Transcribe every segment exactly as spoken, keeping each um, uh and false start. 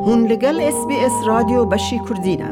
Hûn li gel S B S Radyo Beşî Kurdî ne.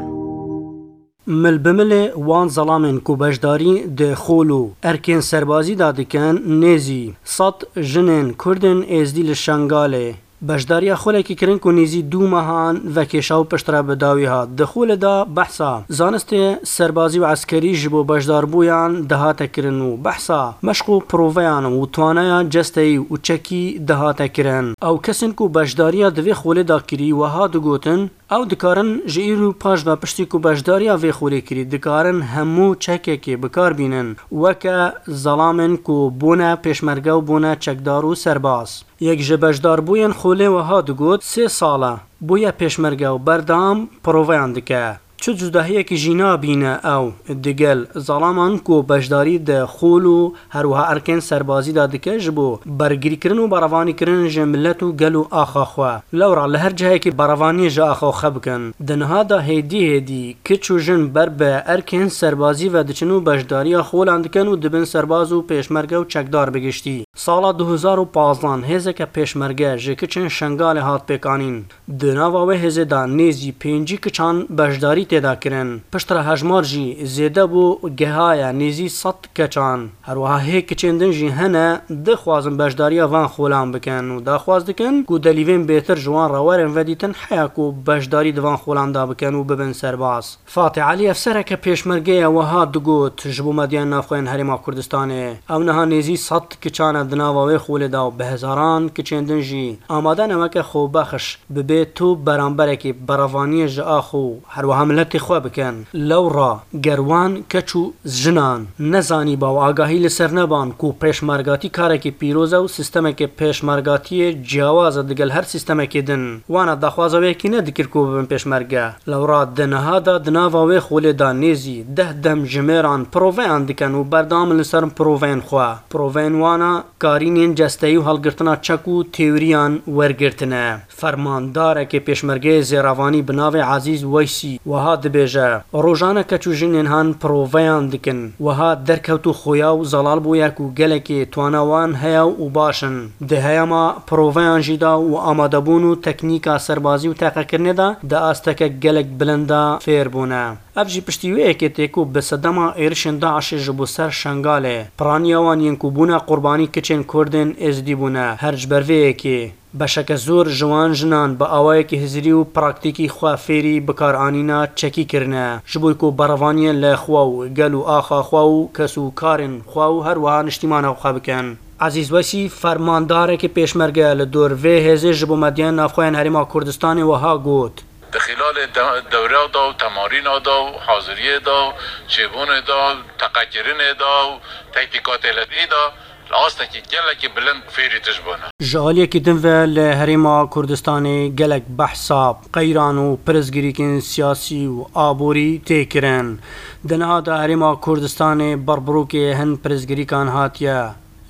Mil bi milê wan zelamên ku beşdarî di xol û erkên serbazî de dikin, nêzî sed jinên Kurdên Êzdî li Şengalê beşdariya xolekî kirin ku nêzî du mehan vekêşa û piştre bi dawî hat. Di xolê de behsa zanistê serbazî û eskerî ji bo beşdarbûyan dihate kirin û behsa meşq û proveyan û twaneya cesteyî û çekî dihate kirin. Ew kesên ku beşdariya di vê xolê de kirî, wiha digotin, ew dikarin ji îro paş ve piştî ku beşdariya vê xolê kirî, dikarin hemû çekekê bi kar bînin, weke zelamên ku bûne pêşmerge û bûne çekdar û serbaz. Yek ji beşdarbûyên xolê wiha digot, sê sal e bûye pêşmerge û berdewam proveyan dike. Çi cudahiyekî jî nabîne ew digel zalaman ku beşdarî di xol û her wiha erkên serbazî de dike ji bo bergirîkirin û berevanîkirin ji milet û gel û axa xwe. Lewra li her cihekî berevaniyê ji axa xwe bikin. Di niha de hêdî hêdî kiç û jin ber bi erkên serbazî ve diçin û beşdariya xolan dikin û dibin serbaz û pêşmerge û çekdar bi giştî. Sala du hezar û pazdan hêzeke pêşmerge ji kiçên Şengalê hat pêkanîn. Di nava wê hêzê de nêzî pêncî kiçan beşdarî tê de kirin. Piştre hejmar jî zêde bû, gehaye nêzî sed keçan. Her wiha hê kiçên din jî hene dixwazin beşdariya van xolan bikin û daxwaz dikin ku delîvên bêtir ji wan re werin vedîtin, heya ku beşdarî di van xolan de bikin û bibin serbaz. Fatih Elîyev, sereke pêşmergeyê, wiha digot, ji bo medyayên navxwe yên Herêma Kurdistanê, ew niha nêzî sed kiçan e di nava wê xolê de û bi hezaran kiçên din jî amade ne weke xwebexş bibê tu beramberekî berevaniyê ji ax û her wiha miletê xwe bikin. Lewra ger wan keç û jinan nezanîba û agahî li ser neban ku pêşmergatî karekî pîroz e û sîstemeke pêşmergatiyê ciyawaz e digel her sîstemekê din, wana daxwaza wê yekî nedikir ku bibin pêşmerge. Lewra di niha de di nava wê xolê de nêzî deh demjimêran proveyan dikin û berdewam in li ser proveyên xwe. Proveyên wana karînên cesteyî û hilgirtina çek û têwriyan wergirtine. Fermandarekê pêşmergeyê zêrevanî bi navê Ezîz Weysî wiha dibêje, rojane keç û jinên han proveyan dikin. Wiha derkewt û xoya û zelal bûye ku gelekê twana wan heye û baş in. Di heyama proveyan jî de û amadebûn û teknîka serbazî û teqekirinê de di asteke gelek bilind de fêr bûne. Ev jî piştî wê yekê tê ku bi sedema êrişên DAIŞê ji bo ser Şengalê, piraniya wan yên ku bûne qurbanî kiçên Kurdên Êzidî bûne. Her ji ber vê yekê beşeke zor ji wan jinan bi awayekî hizirî û praktîkî xwe fêrî bikaranîna çekî kirine, ji bo ku berevaniyên li xwe û gel û axa xwe û kes û karên xwe û her wiha niştîmana xwe bikin. Ezîz Wesî, fermandarekî pêşmerge li dor vê hêzê ji bo medyayên navxwe yên Herêma Kurdistanê wiha got. Di xîlalê de-, dewra de û temarîna de û haziriyê de û çêbûnê de û teqekirinê de û tetbîkatê li vî de li astekî gelekî bilind fêrî tij bûne. Ji aliyekî din ve li Herêma Kurdistanê gelek behsa qeyran û pirsgirêkên siyasî û aborî tê kirin. Di niha de Herêma Kurdistanê berbirokê hin pirsgirêkan hatiye.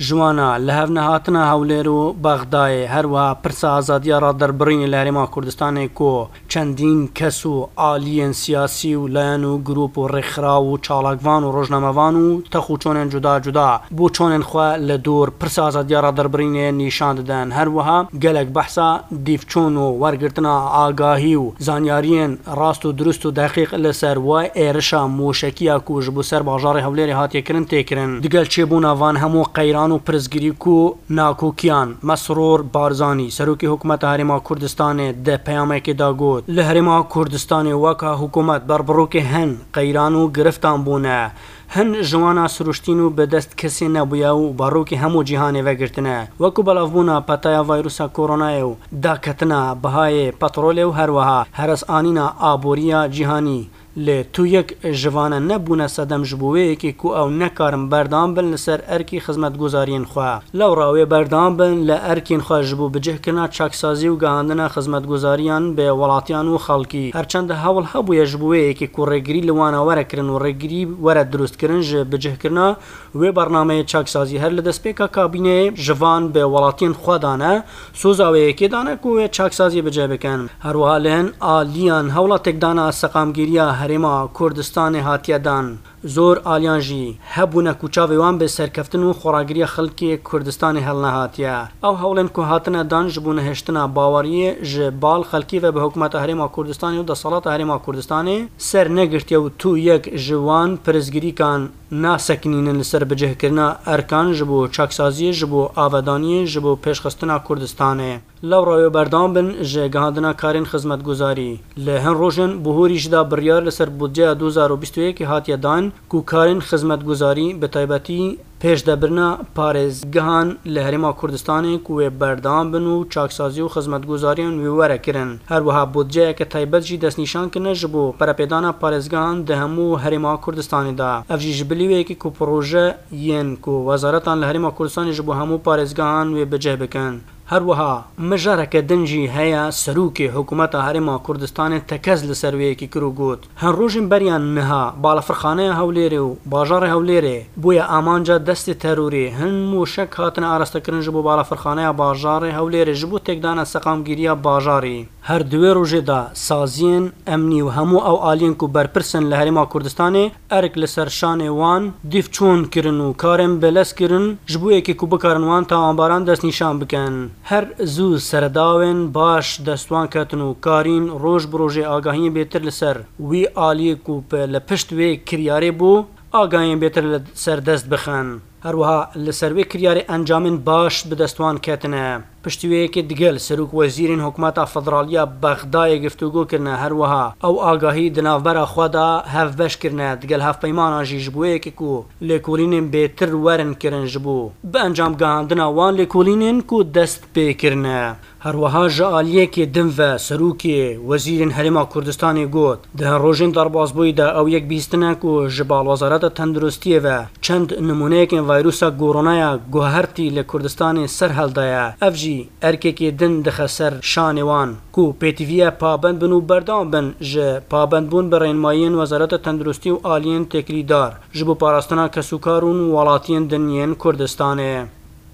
Ji wana li hev nehatina Hewlêr û Bexdayê, her wiha pirsa azadiya raderbirînê li Herêma Kurdistanê ku çendîn kes û aliyên siyasî û layan û grûp û rêkxiraw û çalakvan û rojnamevan û texûçonên cuda cuda boçonên xwe li dor pirsa azadiya raderbirînê nîşan didin. Her wiha gelek behsa dîvçûn û wergirtina agahî û zanyariyên rast û dirust û deqîq li ser wê êrişa moşekiya ku ji bo ser bajarê Hewlêrê hatiye kirin tê kirin. Digel çêbûna van hemû qeyran û pirsgirîk û nakokiyan, Mesrûr Barzanî, Serokê Hikûmeta Herêma Kurdistanê, di peyamekê de got, li Herêma Kurdistanê weka hikûmet berbirokê hin qeyran û giriftan bûne. Hin ji wana siruştîn û bi dest kesê nebûye û barokê hemû cîhanê vegirtine. Wekû belavbûna petaya vayrusa koronayê û daketina bihayê petrolê û her wiha heresanîna aboriya cîhanî. Lê tu yek ji vane nebûne sedem ji bo wê yekê ku ew nekarin berdewam bin li ser erkî xizmetguzariyên xwe. Lewra wê berdewam bin li erkên xwe ji bo bicihkirina çaksazî û gihandina xizmetguzariyan bi welatiyan û xelkî. Her çend hewl hebûye ji bo wê yekê ku rêgirî li wana were kirin û rêgirî were dirustkirin ji bicihkirina wê bernameyê çaksazî, her li destpêka kabîneyê ji van bi welatiyên xwe dane, soza wê yekê dane ku wê çaksaziyê bi cih bikin. Her wiha li hin aliyan hewla têkdana seqamgiriya Herêma Kurdistanê hatiye dan. Zor aliyan jî hebûne ku çavê wan bi serkeftin û xweragiriya xelkê Kurdistanê hilnehatiye. Ew hewlên ku hatine dan ji bo nehiştina baweriyê ji bal xelkê ve bi Hikûmeta Herêma Kurdistanê û Desalata Herêma Kurdistanê ser negirtiye û tu yek ji wan pirsgirîkan nasekinînin li ser bicihkirina erkan ji bo çaksaziyê, ji bo avedaniyê, ji bo pêşxistina Kurdistanê. Lewra wê berdewam bin ji gihandina karên xizmetguzarî. Li hin rojên bihorî jî de biryar li ser budceya du hezar û bîst û yekê hatiye dan ku karên xizmetguzarî, bi taybetî pêşdebirina parêzgehan li Herêma Kurdistanê, ku wê berdewam bin û çaksazî û xizmetguzariyan wê were kirin. Her wiha budceyeke taybet jî destnîşan kirine ji bo perepêdana parêzgehan di hemû Herêma Kurdistanê de. Ev jî ji bilî wê yekê ku proje yên ku wezaretan li Herêma Kurdistanê ji bo hemû parêzgehan wê bi cih bikin. Her wiha mijareke din jî heye, serokê Hikûmeta Herêma Kurdistanê tekez li ser wê yekê kir û got, Hin rojên beriya niha balafirxaneya Hewlêrê û bajarê Hewlêrê bûye amanca destê terorê. Hin mûşek hatine arastekirin ji bo balafirxaneya bajarê Hewlêrê ji bo têkdana seqamgîriya bajarî. Her di wê rojê de saziyên emnî û hemû ew aliyên ku berpirs in li Herêma Kurdistanê erk li ser şanê wan dîv çûn kirin û karên bi lez kirin, ji bo yekê ku bikarin wan tawanbaran destnîşan bikin. Her zû seredawên baş dest wan ketin û karîn roj bi rojê agahiyên bêtir li ser wî aliyê ku bi li pişt wê kiryarê bû, agahiyên bêtir li ser dest bixin. Her wiha li ser wê kiryarê encamên baş bi dest wan ketine. Piştî wê yekê digel serok wezîrên Hikûmeta Federal ya Bexdayê giftûgo kirine, her wiha ew agahî di navbera xwe de hevbeş kirine, digel hevpeymanan jî ji bo yekê ku lêkolînên bêtir werin kirin ji bo bi encam gihandina wan lêkolînên ku dest pê kirine. Her wiha ji aliyekê din ve serokê wezîrên Herêma Kurdistanê got, Di hin rojên derbasbûyî de ew yek bihîstine ku ji bal Wezareta Tenduristiyê ve çend nimûneyekên vayrusa Koronaya guhertî li Kurdistanê ser hildaye. Ev jî erkekê din dixe ser şanê wan ku pêtivî ye pabend bin û berdewam bin ji pabendbûn bi rênmayiyên Wezareta Tenduristî û aliyên têkilîdar ji bo parastina kesûkar û welatiyên din yên Kurdistanê.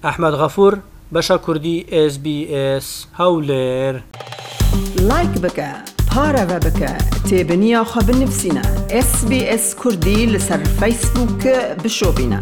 Ehmed Xefûr, Beşa Kurdî, S B S, Hewlêr. Like bike, pareve bike, têbiniya xwe binivîsîne. S B S Kurdî li ser Facebook bişopîne.